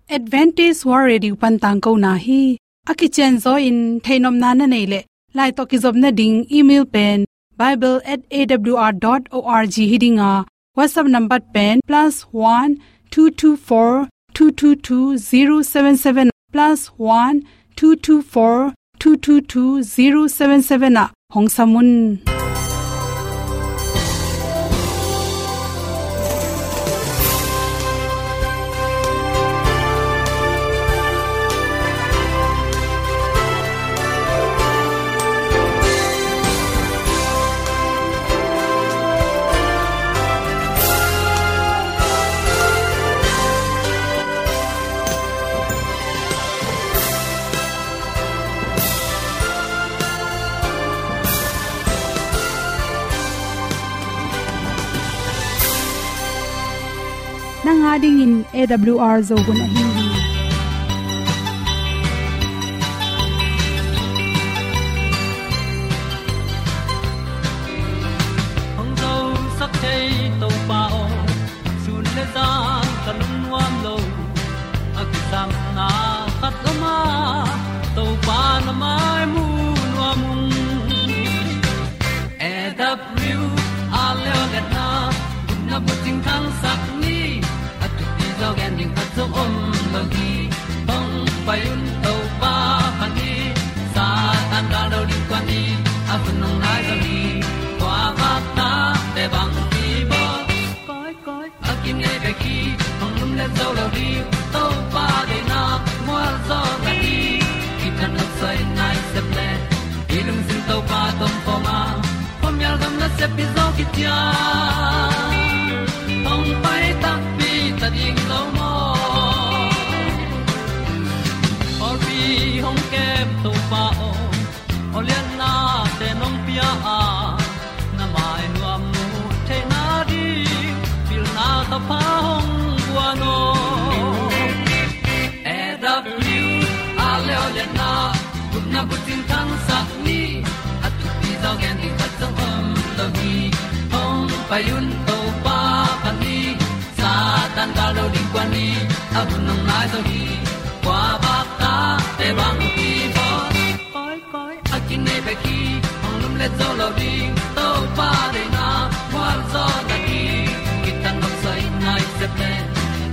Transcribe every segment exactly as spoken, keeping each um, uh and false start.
Adventist World Radio pan tangkona hi. A kicianzaw in theihnopna na neih leh, lai tawh kizopna ding email pen bible at A W R dot org hi ding a, WhatsApp number pen plus one two two four two two two zero seven seven, plus one two two four two two two zero seven seven ah hong sam un. Nang a dingin A W R Zo hun ahi hi. Hong zosak thei Topa aw, sun le zan ka lungnuam lo. A kisapna khat om a, Topa na mai mu nuam ung. A W R Zo hun a, gupna bucing thangsak ni. A thupi zaw gen ding khat zong om lo hi. Hong pai un Topa pan hi. Satan gal lo ding kuan hi. A hun hong nai zaw hi. Kua bak ta te bang hi bawl. Koi, koi, a kinei bek hi, hong lumlet zo lo ding. Topa deihna mual zaw na hi. Kitang nok soi nai sep le, i lungsim Topa tawh om a, khuamial gam nasep hi zaw kician. Hong pai takpi ta ding lo maw? Pawlpi hong kem Topa aw, awlianna te nong pia a, na mai nuam mu theihna ding pilna thapha hong guan aw. A W R Zo hun a, gupna bucing thangsak ni. A thupi zaw gen ding khat zong om lo hi. Hong pai un Topa pan hi. Satan gal lo ding kuan hi. A hun hong nai zaw hi. Kua bak ta te bang hi bawl. Koi, koi, a kinei bek hi, hong lumlet zo lo ding. Topa deihna mual zaw na hi. Kitang nok soi nai sep le,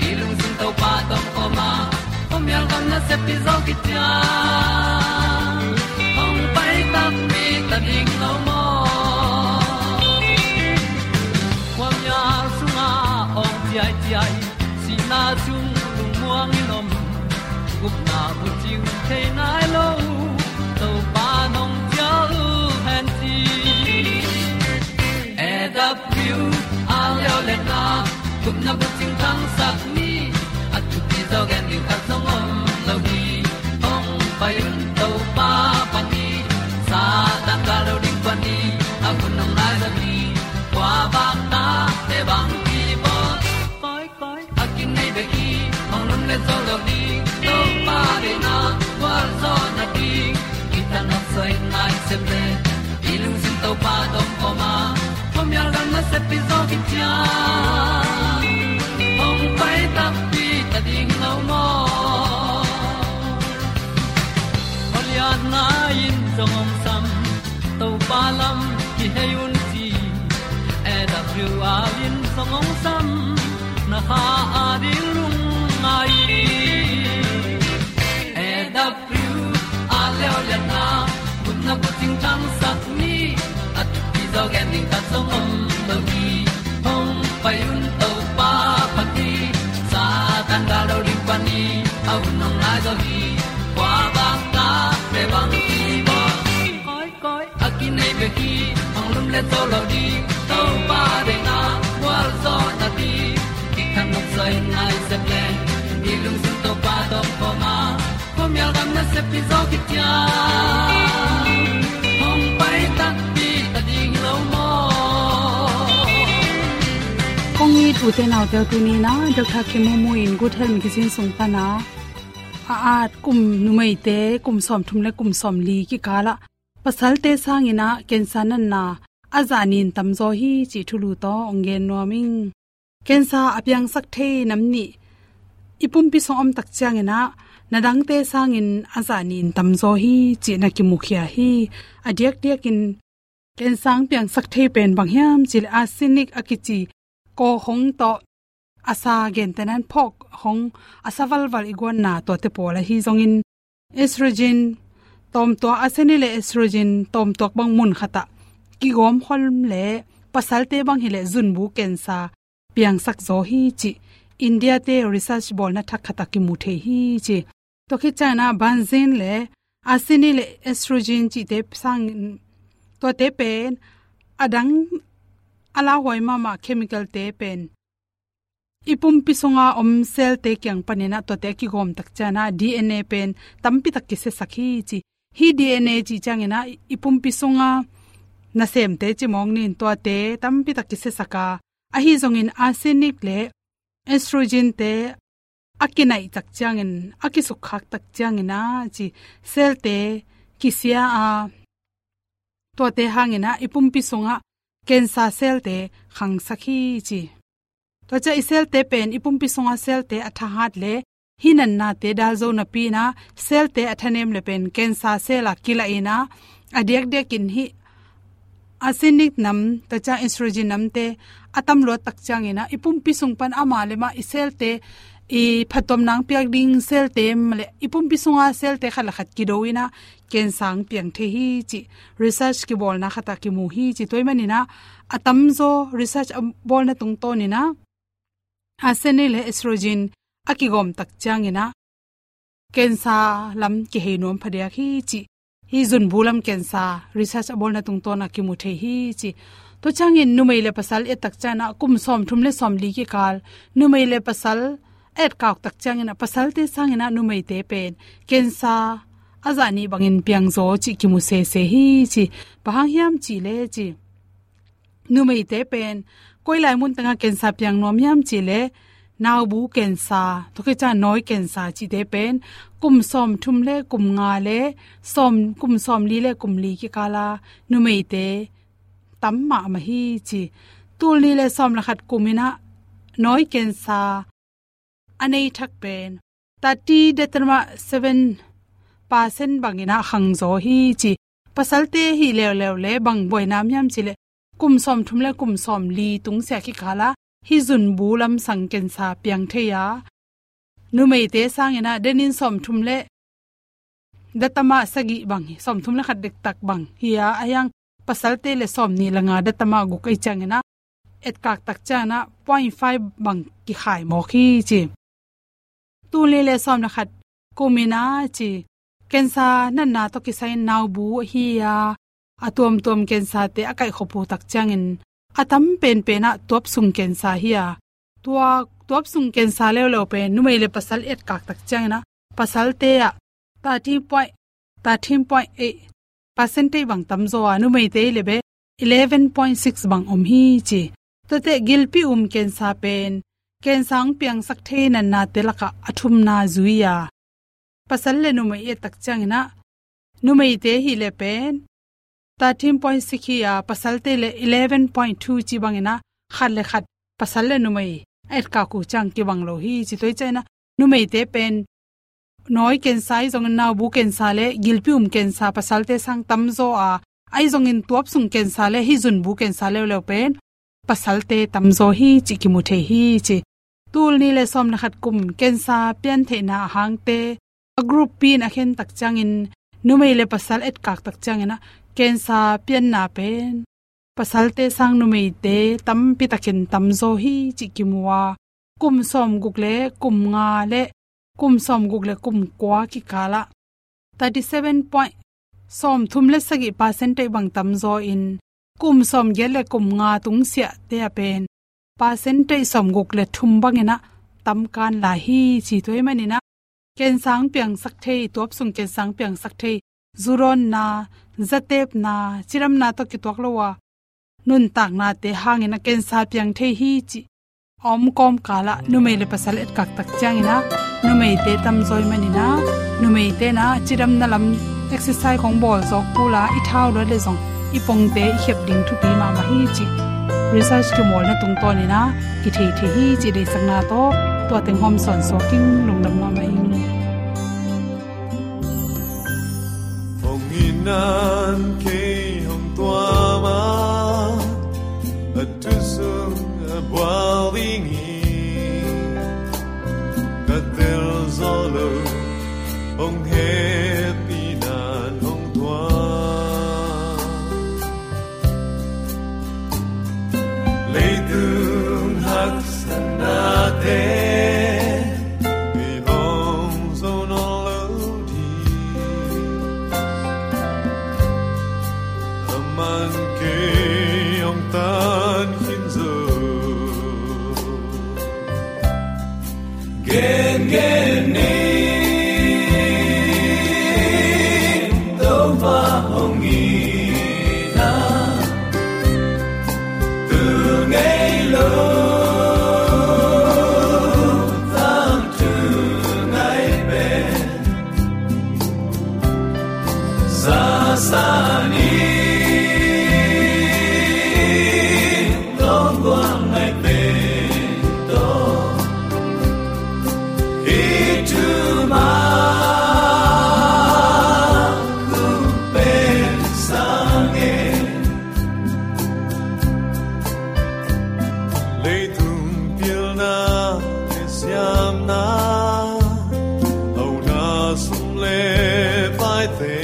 i lungsim Topa tawh om a, khuamial gam nasep hi zaw kician. Hong pai takpi ta ding lo maw? Khuamial sungah awng ciaiciai, sihna sung lungmuang in om. Gupna bucing thei nai lo, Topa nong cial hen ci. A W R Zo hun a, gupna bucing thangsak ni. A thupi zaw gen ding khat zong om lo hi. Hong pai un Topa pan hi. Satan gal lo ding kuan hi. A hun hong nai zaw hi. Kua bak ta te bang hi bawl. Koi, koi, a kinei bek hi, hong lumlet zo lo ding. Topa deihna gualzawhna ding, kitang nok soi nai sep le, i lungsim Topa tawh om a, khuamial gam nasep hi zaw kician. Hong pai takpi ta ding lo maw? Awlianna in zong hong sam, Topa lam kihei un ci. A W R in zong hong sam, na kha a ding lungngai. A W R Zo hun a, gupna bucing thangsak ni. A thupi zaw gen ding khat zong om lo hi. Hong pai un Topa pan hi. Satan gal lo ding pan hi. A hun hong nai zaw hi. Kua bang ta te bang hi bawl. Koi, koi, a kinei bek hi, hong lumlet zo lo ding. Topa deihna gualzawhna ding, kitang nok soi nai sep le, i lungsim Topa tawh om a, khuamial gam nasep hi zaw kician. Hong pai takpi ta ding lo maw? Kong it u te nau te, tuni in a Doctor Kim Mu Mu in Good Health Magazine sung pan a, a at kum, numeite kum sawmthum le kum sawmli kikal ah pasalte sangin a cancer natna a zah nin tamzaw hi cih thulu tawh hong gen nuam ing. Cancer a piangsak thei nam nih i pumpi sung om tak ciangin ah, na dangte sangin a zah nih in tamzaw hi cih na kimukhia hi. A diakdiakin cancer piangsak thei pen bang hiam cih leh arsenic a kici kawkhong tawh a sa gentehna in phawkhong a sa valval i guanna tuate pawl ahi zongin estrogen tawmtuak, arsenic le estrogen tawmtuak bang mun khat ah kigawm khol leh pasalte bang hi leh zunbu cancer piangsak zaw hi cih India te research bawlna thak khat ah kimu thei hi ci. Tua khit ciangin ah benzene le arsenic le estrogen cihte sang, tuate pen a dang a lauhuai mahmah chemical te pen i pumpi sunga om cell te kiang panin ah tuate a kigawm tak ciangin ah D N A pen tampi tak kisiasak hi ci. Hih D N A cih ciangin ah i pumpi sunga nasemte ci mawk ni in, tuate tampi tak kisiasak a, ahi zongin arsenic le estrogen te a kinaih tak ciangin, a kisukkhak tak ciangin ah ci, cell te kisia a, tuate hangin ah i pumpi sungah cancer cell te khangsak hi ci. Tua ciang i cell te pen i pumpi sunga cell te a thahat leh hih natnate dal zo napi in ah cell te a thanem leh pen cancer cell ah kilah in ah, a diakdiakin hih arsenic nam, tua ciang estrogen namte a tamluat tak ciangin ah i pumpi sung pan amah le mah i cell te i phattuamna piak ding cell te mah leh i pumpi sunga cell te khat le khat kido in ah cancer piang thei hi cih research kibawlna khat ah kimu hi ci. Tua ahih manin ah a tamzaw research a bawlna tungtawnin ah arsenic le estrogen a kigawm tak ciangin ah cancer lam kihei nuam phadiak hi cih, hih zunbu lam cancer research a bawlna tungtawn ah kimu thei hi ci. Tua ciangin numei le pasal et tak ciangin ah kum sawmthum le sawmli kikal numei le pasal etkak tak ciangin ah pasalte sangin ah numeite pen cancer a zah nih bangin piangzaw cih kimu sese hi ci. Bang hang hiam cih leh ci, numeite pen koi lai mun tengah cancer piang nuam hiam cih leh naubu cancer, tua khit ciang nawi cancer cihte pen kum sawmthum le kum nga le sawm, kum sawmli le kum li kikal a numeite tam mahmah hi ci. Tul nih le sawm le khat kum in ah nawi cancer a nei thak pen thirty datamat seven percent bangin ah khangzaw hi ci. Pasalte hi leuleu leh bang buaina om hiam cih leh kum sawmthum le kum sawmli tungsiah kikal ah hih zunbu lam sang cancer piang thei a, numeite sangin ah denin sawmthum le datamat sagih bang hi, sawmthum le khat dektak bang hi a, a hiang pasalte le sawmnih le nga datamat guk ahih ciangin ah etkak tak ciangin ah point five bang kikhai mawk hi ci. Tul nih le sawm le khat kum in ah ci, cancer natna tawh kisai in naubu ahi a, a tuamtuam cancer te a kaihkhop uh tak ciangin a tam penpen ah tuapsung cancer hi a, tua tuapsung cancer leuleu pen numei le pasal etkak tak ciangin ah pasalte ah thirteen point, thirteen point eight percentage bang tamzaw a, numeite hi leh bel eleven point six bang om hi ci. Tuate gilpi um cancer pen cancer hong piangsak thei natnate lakah a thumna zui a, pasal le numei et tak ciangin ah numeite hi leh pen thirteen point six hi a, pasalte le eleven point two ci bangin ah khat le khat pasal le numei a etkak uh ciang kibang lo hi ci. Tua ahih ciangin ah numeite pen nawi cancer ahi zongin naubu cancer le gilpi um cancer pasalte sang tamzaw a, ahi zongin tuapsung cancer le hih zunbu cancer leuleu pen pasalte tamzaw hi cih kimu thei hi ci. Tul nih le sawm le khat kum cancer piantheihna a hangte a group pi in a khen tak ciangin numei le pasal etkak tak ciangin ah cancer pianna pen pasalte sang numeite tampi takin tamzaw hi cih kimu a, kum sawmguk le kum nga le kum sawmguk le kum kua kikal ah thirty seven point, sawmthum le sagih percentage bang tamzaw in, kum sawmgiat le kum nga tungsiahte ah pen percentage sawmguk le thum bangin ah tamkan lai hi ci. Tua ahih manin ah cancer piangsak thei, tuapsung cancer piangsak thei, zu dawnna, zatepna, cidamna tawh kituak lo a nuntaknate hangin ah cancer piang thei hi cih a om kawmkal ah numei le pasal etkak tak ciangin ah numeite tamzaw ahih manin ah numeite in ah cidamna lam exercise khong bawl zawk kul a, i thau luat leh zong i pongte i khiap ding thupi mahmah hi cih research kimawlna tungtawnin ah kithei thei hi cih deihsakna tawh Tua teng hawm sawn suak ing, lungdam mahmah ing. Hong in nan kei hong tuam a, a thu sung a bual ding hi. Ka tel zo lo, hong hehpih nan hong tuam. Leitung haksatnate i hong zo nawn lo ding. Aman kei hong tan khin zo. Gengen ni, Topa hong in a, tu ngei lo, tangthu ngai pen, sasa ni, lawng guang ngai pen tawh. Hi thu mah kong pen sang e. Leitung pilna le siamna, hauna sum le paite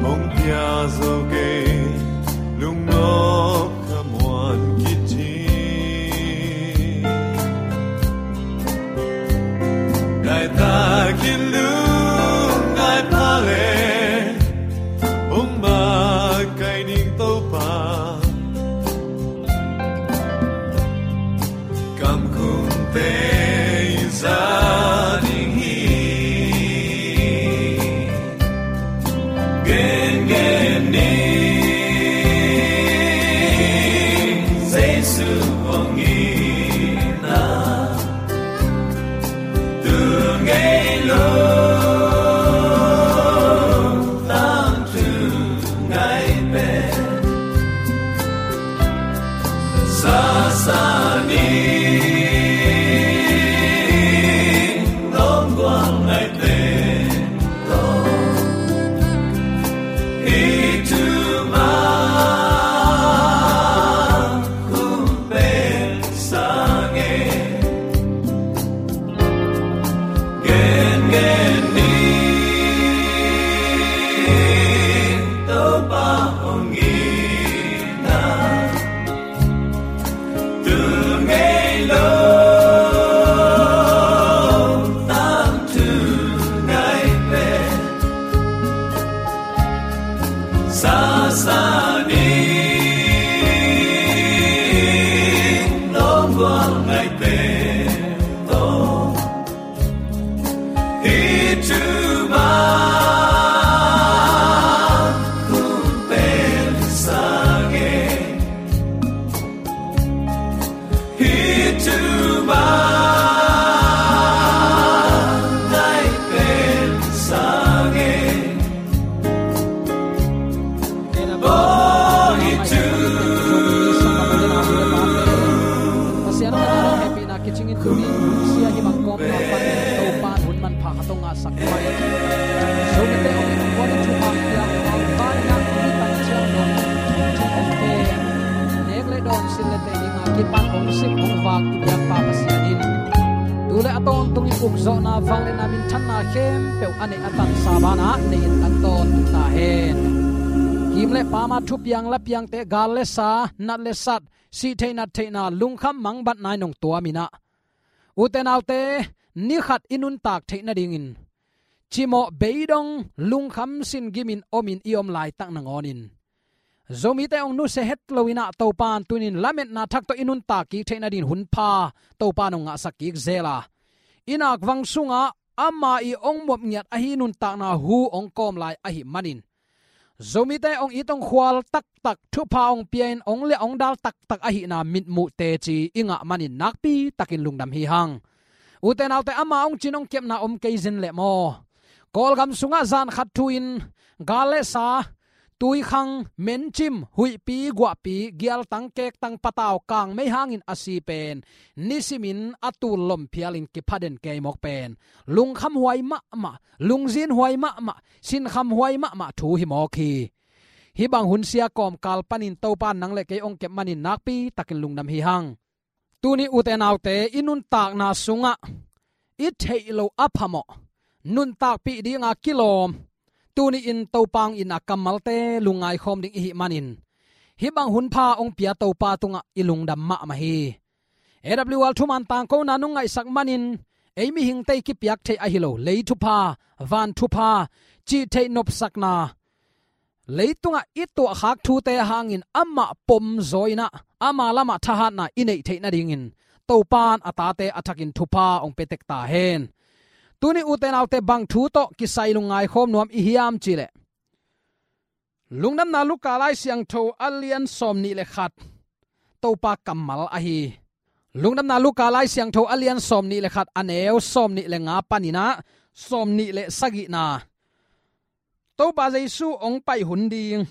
hong pia zo kei, lungnop ka muan kit hi. Ngai takin lungngai pha le, hong makaih ning Topa. Kamkumte i za ding hi. Gengen ni, Jesu hong in a, tu ngei lo, tangthu ngai pen, sasa ni, lawng guang ngai pen tawh. Hi thu mah kong pen sang e. Gengen ni, Topa hong in a, tu ngei lo, tangthu ngai pen, sasa ni, lawng guang ngai pen tawh. Hi thu mah kong pen sang e. Hi thu mah ngai pen sang e. Pasian a hehpihna kicingin tuni sia hi bang kawmna pan Topa hun manpha khat hong ngahsak mai. Zomite hong in hong kuan in thuman piak hong pai nak hong in tan ciang dong hong thum hong kem, nek le dawn, sil le teh dinga kipan hong sik hong vak i biakpa Pasian in tu le a tawntungin ukzawhna, vangliatna, minthanna khempeuh a neih a tansa banah nei in kan tawntung ta hen. Kim le pam a thupiang lapiangte, gal le sa, nat le sat, sih theih nat theihna, lungkham mangbatna in hong tuam in ah, ute naute, ni khat i nuntak theih nadingin cimawh beidong lungkham sin gimin omin i om laitak nangawnin Zomite hong nusia het lo in ah, Topa in tuni-in lametna thak tawh i nuntak kik theih nadingin hun pha Topa in hong ngahsak kik zel a, i nakvang sungah ama i hong muap ngiat ahi nuntakna hu hong kawm lai ahih manin, Zomite hong it hong khual taktak, thupha hong pia-in hong liah hong dal taktak ahihna mitmuh teci i ngah manin nakpi takin lungdam hi hang. Ute naute, ama hong cin hong kepna om kei zen leh maw? Kawlgam sungah zan khat thu-in gal le sa, tuikhang, mencim, huihpi, guahpi, gialtang, kektang, patau, kangmei hangin a si pen nisimin a tul lom phialin kiphaden kei mawk pen lungkhamhuai mahmah, lungzinhuai mahmah, sinkhamhuai mahmah thu hi mawk hi. Hih bang hun sia kawmkal panin Topa in nang le kei hong kep manin nakpi takin lungdam hi hang. Tuni ute naute, i nuntakna sungah i theih loh a phamawh, nuntakpih dinga kilawm, tuni-in Topa hong itna kammalte lungngaikhawm ding i hih manin, hih bang hunpha hong pia Topa tungah i lungdam mahmah hi. A W R thuman tangkona nong ngaihsak manin, ei mihingte i kipiak theih ahi lo, lei thupha, van thupha, cih theih nopsakna, leitungah i tuahkhak thute hangin amah pom zaw in ah, ama lamah thahatna i neih theih nadingin Topa in a tate a thakin thupha hong pia tek ta hen. Tuni ute naute, bang thu tawh kisai lungngaikhawm nuam i hiam cih leh, Lungdamna Luka Lai Siangtho a lian sawmnih le khat, Topa kammal ahi. Lungdamna Luka Lai Siangtho a lian sawmnih le khat, a neu sawmnih le nga panin ah sawmnih le sagihna. Topa Jesu hong pai hun ding,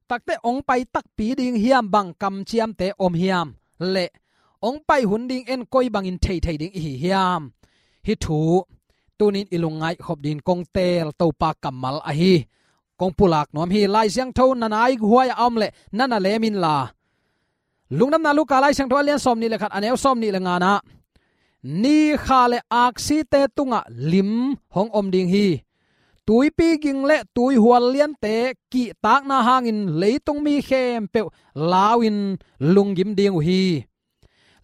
takte hong pai takpi ding hiam, bang kamciamte om hiam, le hong pai hun ding en koi bangin theithei ding i hi hiam? Hih thu tunin i lungngaih khop dingin kong teel Topa kammal ahi. Kong pulak nuam hi. Lai Siangtho na naihuai a om leh na na lem inla. Lungdamna Luka Lai Siangtho a lian sawmnih le khat, a neu sawmnih le nga-na, ni kha le aksite tungah lim hong om ding hi. Tuipi ging le tuihual liante kihtakna hangin leitung mi khempeuh lau-in lunggim ding uh hi.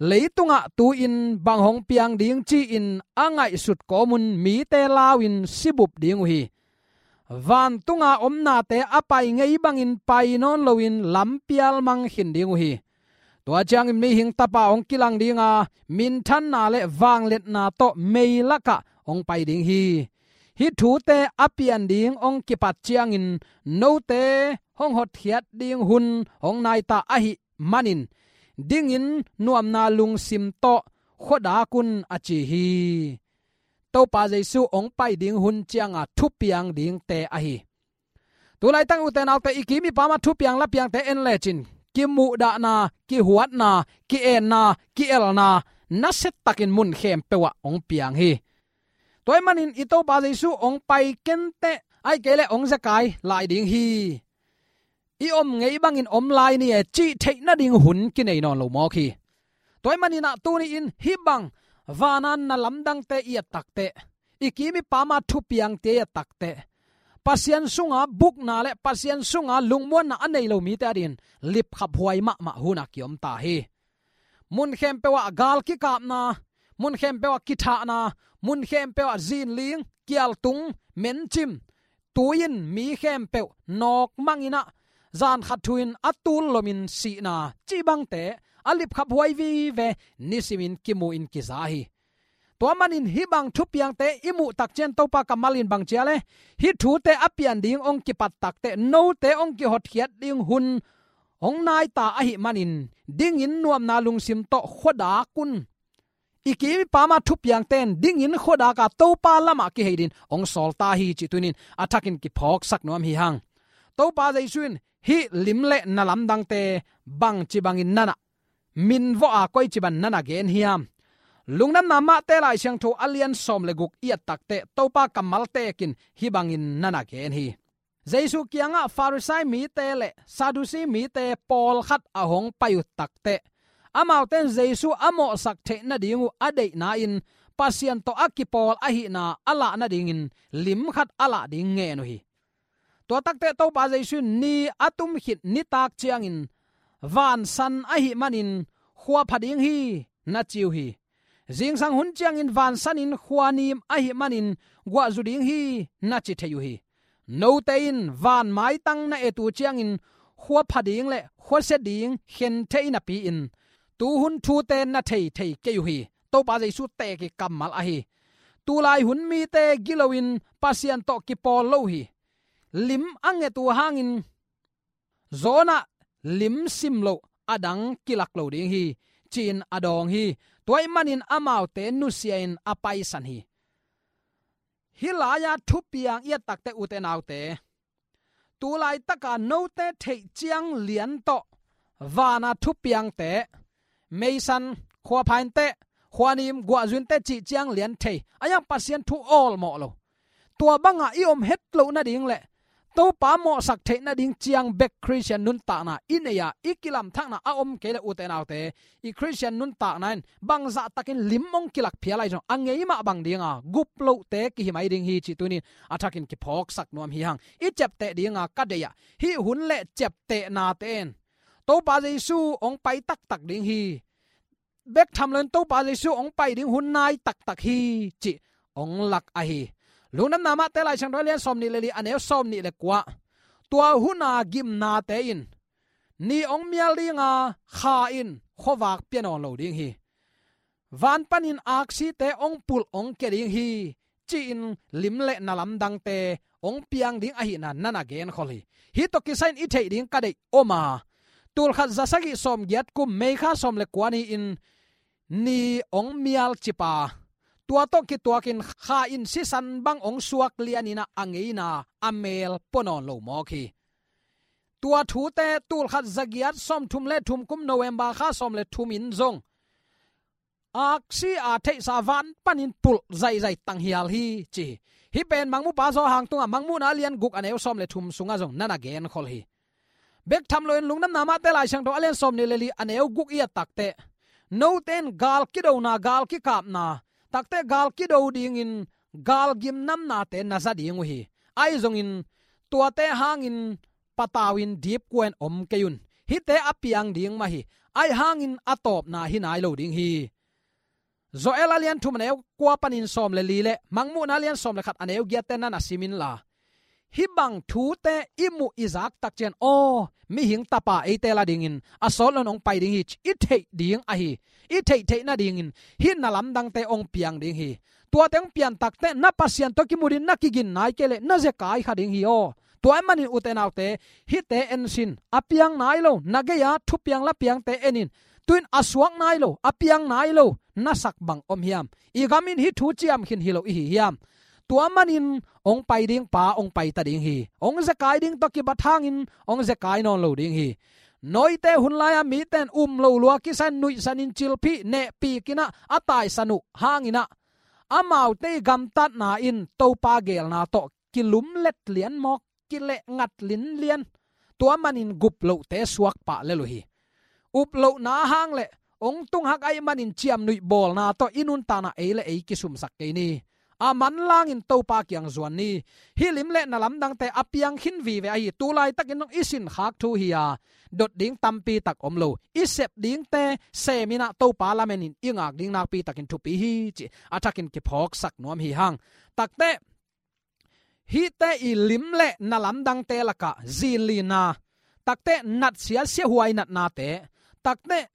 Leitungah tu-in bang hong piang ding ci-in a ngaihsut kawmun mite lau-in sibup ding uh hi. Vantunga om nate a pai ngei bangin pai nawn loin lampial mang khin ding uh hi. Tua ciangin mihing tapa hong kilang dinga, minthanna le vangliatna tawh meilakah hong pai ding hi. Hih thute a pian ding hong kipat ciangin note hong hotkhiat ding hun hong nai ta ahih manin, dingin nuamna lungsim tawh khuadak un, a ci hi. Topa Jesu hong pai ding hun cianga thupiang dingte ahi. Tulaitak ute naute, i kim i pam a thupiang lapiangte en lecin, kimuhdahna, kihuatna, ki-enna, ki-elna, nasiatakin mun khempeuh ah hong piang hi. Tua ahih manin i Topa Jesu hong pai kenteh, ahih kei leh hong zekai lai ding hi. I om ngei bangin om lai ni e, cih theih nading hun kinei nawn lo mawk hi. Tua ahih manin ah tuni-in hih bang vana na lamdangte i et takteh, i kim i pam a thupiangte i et takteh, Pasian sunga bukna le Pasian sunga lungmuanna a nei lo mite adingin lipkhaphuai mahmah hun a kiom ta hi. Mun khempeuh ah gal kikapna, mun khempeuh ah kithahna, mun khempeuh ah zinling, kialtung, mencim, tui-in mi khempeuh nawkmangin ah, zan khat thu-in a tul lomin sihna, cih bangte a lipkhaphuai vive nisimin kimu-in kiza hi. Tua manin hih bang thupiangte i muh tak ciang Topa kammal in bang ci a leh, hih thute a pian ding hong kipat takteh, note hong kihotkhiat ding hun hong nai ta ahih manin, dingin nuamna lungsim tawh khuadak un. I kim i pam a thupiangte in dingin khuadak a, Topa lamah kihei dingin hong sawl ta hi, cih tuni-in a thakin kiphawksak nuam hi hang. Topa Jesu in hih lim le na lamdangte bangci bangin na na minvawh a, koici bang na na gen hiam? Lungdamna Mate Lai Siangtho a lian sawm le guk i et takteh, Topa kammal tekin hih bangin na na gen hi. Jesu kiangah Farisai mite le Sadusi mite pawlkhat a hong pai uh takteh, amaute in Jesu a mawhsak theih nading uh a deihna-in Pasian tawh a kipawl ahihna a lah nadingin lim khat a lah ding ngen uh hi. Tua takteh Topa Jesu in ni a tum khit nitak ciangin, "Vansan ahih manin khua pha ding hi," na ci uh hi. Zingsang hun ciangin vansanin khua nim ahih manin guahzu ding hi, na ci thei uh hi. Note in van maitang na et uh ciangin khua pha ding le khuasia ding khen thei napi-in, tuhun thute na thei thei kei uh hi. Topa Jesu teek i kammal ahi. Tulai hun mite gilo-in Pasian tawh kipawl lo uh hi. Lim a nget uh hangin, Jonah lim sim loh a dang kilak lo ding hi, ci-in a dawng hi. Tua ahih manin amaute nusia-in a paisan hi. Hih lai-a thupiang i et takteh, ute naute, tu laitaka note theih ciang lian tawh vana thupiangte, meisan, khuaphainte, khuanim, guahzuinte cih ciang lian thei a, iang Pasian thu awlmawh lo. Tua banga i om het loh nading le Topa mawhsak theih nading ciang bek Khristian nuntakna i nei a, i kilamthakna a om kei le, ute naute, i Khristian nuntakna in bangzah takin lim hong kilak phial ahi zong a ngei mah bang dinga gup lohte kihi mai ding hi cih tunin a thakin kiphawksak nuam hi hang. I ciapteh dinga ka deih ah hih hun le ciaptehnate in Topa Jesu hong pai taktak ding hi. Bek tham loin Topa Jesu hong pai ding hun nai taktak hi cih hong lak ahi. Lungdamna Mate Laisiangtho a lian sawm nih le li, a neu sawm nih le kua. Tua huna gimnate in ni hong mial dinga, kha in khuavak pia nawn lo ding hi. Van panin aksite hong pulh hong kia ding hi, ci-in lim le na lamdangte hong piang ding ahihna na na genkhol hi. Hih tawh kisai-in i theih ding ka deih om a, tulkhat zasagih sawmgiat kum May kha sawm le kua ni-in ni hong mial cip a, tua tawh kituakin kha in sisan bang hong suak lianin a, a ngeina a mel pua nawn lo mawk hi. Tua thute tulkhat zagiat sawmthum le thum kum November kha sawm le thum in zong aksi a theihsa van panin pulh zaizai tanghial hi ci hi. Hih pen Mangmuhpa Johan tungah Mangmuhna a lian guk a neu sawm le thum sungah zong na na genkhol hi. Bek tham loin Lungdamna Mate Laisiangtho a lian sawm nih le li a neu guk i et takteh, note in gal kidona, gal kikapna, takteh gal kido dingin gal gimnamnate na za ding uh hi. Ahi zongin tuate hangin patau in dipkua in om kei un. Hihte a piang ding mah hi. Ahi hangin a tawpna hi nai lo ding hi. Joel a lian thum a neu kua panin sawm le li le Mangmuhna a lian sawm le khat a neu giatte na na sim inla, hih bang thute i muh i zak tak ciang, aw, mihing tapa eite la dingin a sawt loin hong pai ding hi ci i theih ding ahi. I theih theih nadingin hih na lamdangte hong piang ding hi. Tuate hong pian takteh na Pasian tawh kimu ding, na kigin nai kei leh na zekai kha ding hi aw. Tua ahih manin ute naute, hihte en sin, a piang nai lo na gei-a thupiang lapiangte en in. Tu-in a suak nai lo, a piang nai lo na sak bang om hiam? I gam in hih thu ciam khin hi lo i hi hiam? Tua manin hong pai ding pa hong pai ta ding hi. Hong zekai ding tawh kibat hangin hong zekai nawn lo ding hi. Nawite hun lai-a mite in um lo lua kisa in nuihsan in, cilphih nehpih in ah a taisan uh hangin ah, amaute i gamtatna in Topa geelna tawh kilumlet lian mawk, kilehngat linlian. Tua manin gup lohte suak pah lel uh hi. Up lohna hang le hong tung hak ahih manin ciamnuih bawlna tawh i nuntakna ei le ei kisumsak kei ni. A manlangin Topa kiang zuan ni. Hih lim le na lamdangte a piang khin vive ahi. Tu laitakin zong i sinkhak thu hi-a, dot ding tampi tak om lo. I sep dingte sem in ah Topa lamen in i ngak ding nakpi takin thupi hi ci a thakin kiphawksak nuam hi hang. Takteh, hihte i lim le na lamdangte lakah zinlinna, takteh natsia siahuai natnate, takteh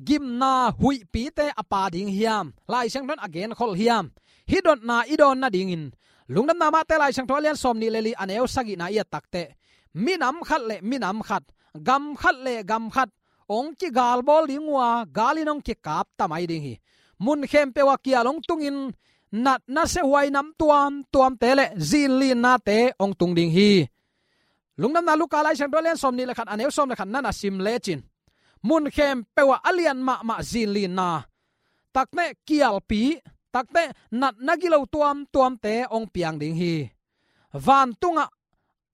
gimna huihpite a pha ding hiam? Laisiangtho in a genkhol hiam? Hih dotna i dawn nadingin Lungdamna Mate Laisiangtho a lian sawm nih le li a neu sagihna i et takteh, minam khat le minam khat, gam khat le gam khat hong kigalbawl ding uh a, gal in hong kikap ta mai ding hi. Mun khempeuh ah kial hong tungin natna siahuai nam tuamtuamte le zinlinnate hong tung ding hi. Lungdamna Luka Laisiangtho a lian sawm nih le khat a neu sawm le khat na na sim lecin, mun khempeuh ah a lian mahmah zinlinna, takteh kialpi, takteh natna gilo tuamtuamte hong piang ding hi. Vantungah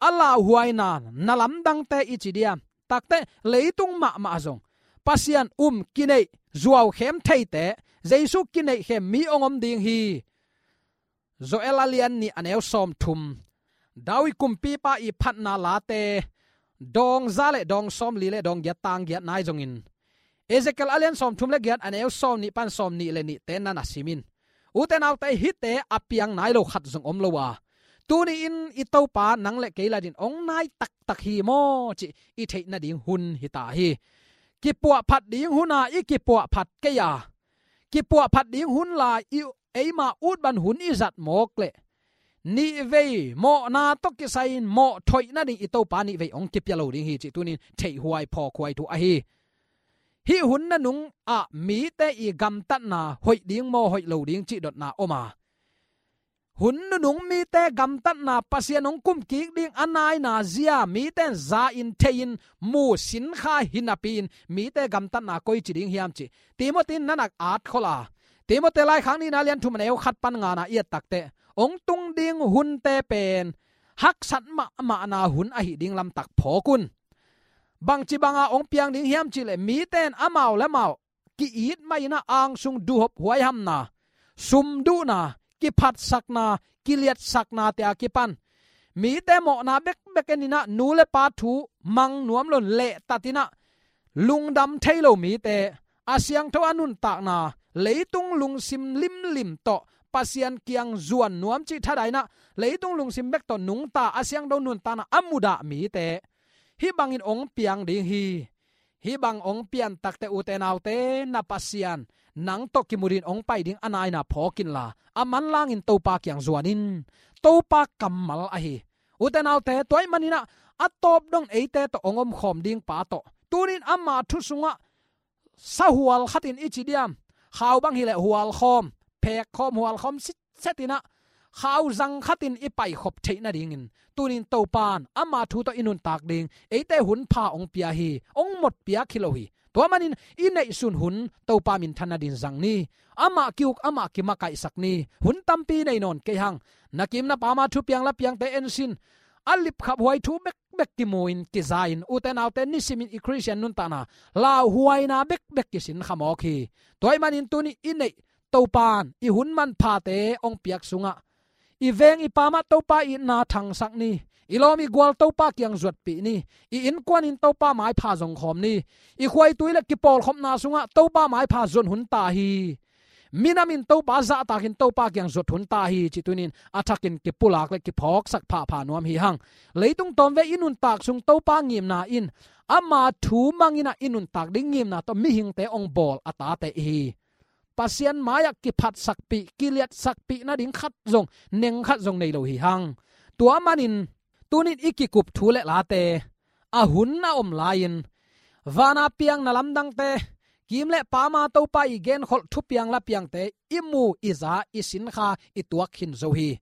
a lauhuaina na lamdangte i ci diam? Takteh leitung mahmah zong Pasian um kineih, zuaukhem theite, Jesu kineihkhem mi hong om ding hi. Joel a lian nih a neu sawmthum, David kumpipa i phatna late dawng za le dawng sawmli le dawng giat tang giat nai zongin, Ezekiel a lian sawmthum le giat a neu sawmnih pan sawmnih le nihte na na sim in. Ute naute, hihte a piang nai lo khat zong om lo a, tuni-in i Topa nang le kei ladin hong nai taktak hi maw cih i theih nading hun hi ta hi. Kipuahphat ding huna i kipuahphat kei a, kipuahphat ding hun lai i eima utban hun i zat mawk leh, nihvei mawhna tawh kisai-in mawh thoih nading i Topa nihvei hong kipia lo ding hi cih tunin theihhuai phawkhuai thu ahi. Hih hun nanungah mite i gamtatna hoih ding maw hoih lo ding cih dotna om a, hun nunung mite gamtatna, Pasian hong kumkik ding a naina zia mite in za in thei in mu sinkha hi napi-in mite gamtatna koici ding hiam cih Timothy in na nak at khol a, Timothy laikhak nihna lian thum a neu khat pan ngana i et takteh hong tung ding hunte pen haksat mahmahna hun ahih ding lamtak phawk un. Bangci banga hong piang ding hiam cihleh mite in amau le amau ki-it mah in ah angsung duhhop huaihamna, sumduhna, kiphatsakna, kiliatsakna te a kipan mite mawhna bekbek en in ah nu le pa thu mang nuam loin lehtat in ah lungdam thei lo mite, a siangtho a nuntakna, leitung lungsim limlim tawh Pasian kiang zuan nuam cih thada in ah leitung lungsim bek tawh nungta a siangtho nuntakna a mudah mite hih bangin hong piang ding hi. Hih bang hong pian takteh ute naute, na Pasian nang tawh kimu dingin hong pai ding a naina phawk inla a manlangin Topa kiang zuan in. Topa kammal ahi. Ute naute, tua ahih manin ah a tawp dong eite tawh hong omkhawm ding pa tawh tunin ama thu sungah sahual khatin i ci diam, khau bang hileh hualkhawm, phekkhawm, hualkhawm sitset in ah khau zang khatin i paikhop theih nadingin tunin Topa in ama thu tawh i nuntak ding eite hun pha hong pia hi, hong mot piak hi lo hi. Tua manin i neihsun hun Topa minthan nadin zang ni. Amah ki-uk, amah kimakaihsak ni. Hun tampi nei nawn kei hang. Na kim na pama thupiang lapiangte ensin, a lipkhaphuai thu bekbek kimu-in kiza-in ute naute nisimin i Khristian nuntakna lauhuaina bekbek kisinkha mawk hi. Tua ahih manin tuni i neih Topa in i hun manphate hong piak sungah i veng i pamah Topa itna thangsak ni. I lawm i gual Topa kiang zuatpih ni. I innkuanin Topa maipha zongkhawm ni. I khuaitui le kipawlkhopna sungah Topa maipha zon hun ta hi. Minam in Topa zahtakin Topa kiang zuat hun ta hi cih tunin a thakin kipulak le kiphawksak phapha nuam hi hang. Leitung tawmvei i nuntak sung Topa ngimna in ama thu mang in ah i nuntak ding ngimna tawh mihingte hong bawl a tate i hi. Pasian mai-ah kiphatsakpih, kiliatsakpih nading khat zong, neng khat zong nei lo hi hang. Tua manin tunin i kikup thu le late a hun a om lai-in vana piang na lamdangte, kim le pama Topa i genkholh thupiang lapiangte i mu, i za, i sinkha, i tuak khin zo hi.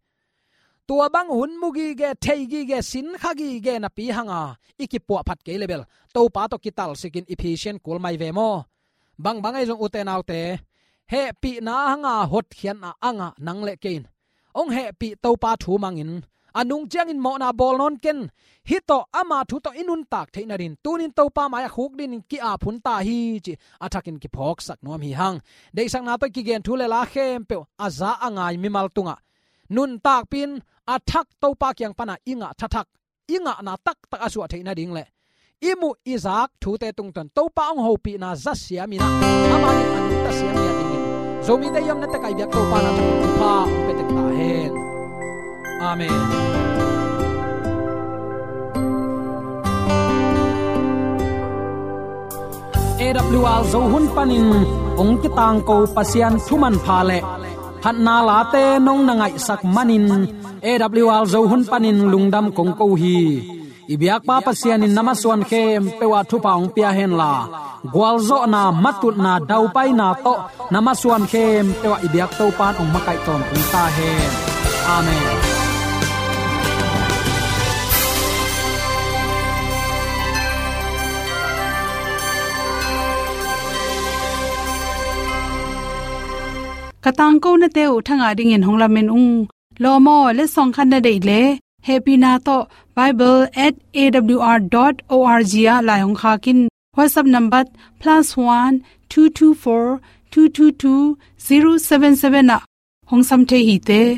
Tua bang hun mu gige, thei gige, sinkha gige napi hanga i kipuahphat kei le bel Topa tawh kitalsikin i phisian kul mai ve maw? Bangbang ahi zong ute naute, hehpihna hanga hotkhiatna a ngah nang le kei in hong hehpih Topa thu mangin a nung ciangin mawhna bawl nawn ken. Hih tawh ama thu tawh i nuntak theih nadin tunin Topa mai-ah khukdinin ki-ap hun ta hi cih a thakin kiphawksak nuam hi hang. Deihsakna tawh i kigen thu le la khempeuh a za a ngai mimal tungah nuntakpih in a thak Topa kiang pana i ngah thathak, i ngahna taktak a suah theih nading le i muh i zak thute tungtawn Topa hong hopihna zasiam in ah amah in a nungta siam ngiat dingin Zomite i omna tekah i biak Topa na thakin thupha hong pia tek ta hen. Amen. A W R Zo hun panin hong kitangko Pasian thu manpha le phatna late nong na ngaihsak manin A W R Zo hun panin lungdam kong ko hi. I biakpa Pasian in na masuan khempeuh ah thupha hong pia henla, gualzawhna, matutna, daupaina tawh na masuan khempeuh ah i biak Topa in hong makaih tawntung ta hen. Amen. Ka tangkonate uh thangah dingin hong lamen ung. Lawm aw, letsong khat na deih leh hehpihna tawh bible at A W R dot O R G ah lai hong khak in. WhatsApp number plus one two two four two two two zero seven seven ah hong sam thei hi te.